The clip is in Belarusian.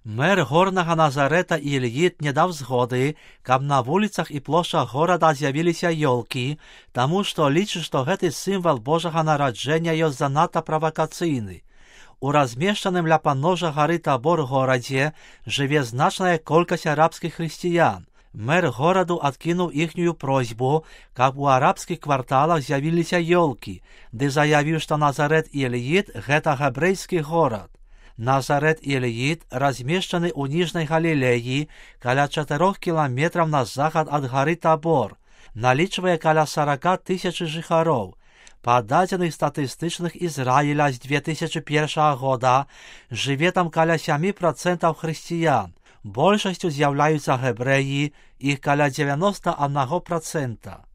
Мэр горнага Назарэта Ільіт не даў згоды, каб на вуліцах і плошчах горада з'явіліся ёлкі, таму што лічыць, што гэты сімвал Божага нараджэння ёсць занадта правакацыйны. У размешчаным ля падножжа гары Табор горадзе жыве значная колькасць арабскіх хрысціян. Мэр гораду адкінуў іхнюю просьбу, каб у арабскіх кварталах з'явіліся ёлкі, ды заявіў, што Назарэт Ільіт – гэта габрэйскі горад. Назарэт Ільіт размешчаны ў Ніжняй Галілеі каля 4 кіламетраў на захад ад гары Табор, налічвае каля 40 000 жыхароў. Па дадзеных статыстычных Ізраіля з 2001 года жыве там каля 7% хрысціян. Большасцю з'яўляюцца габрэі, іх каля 91%.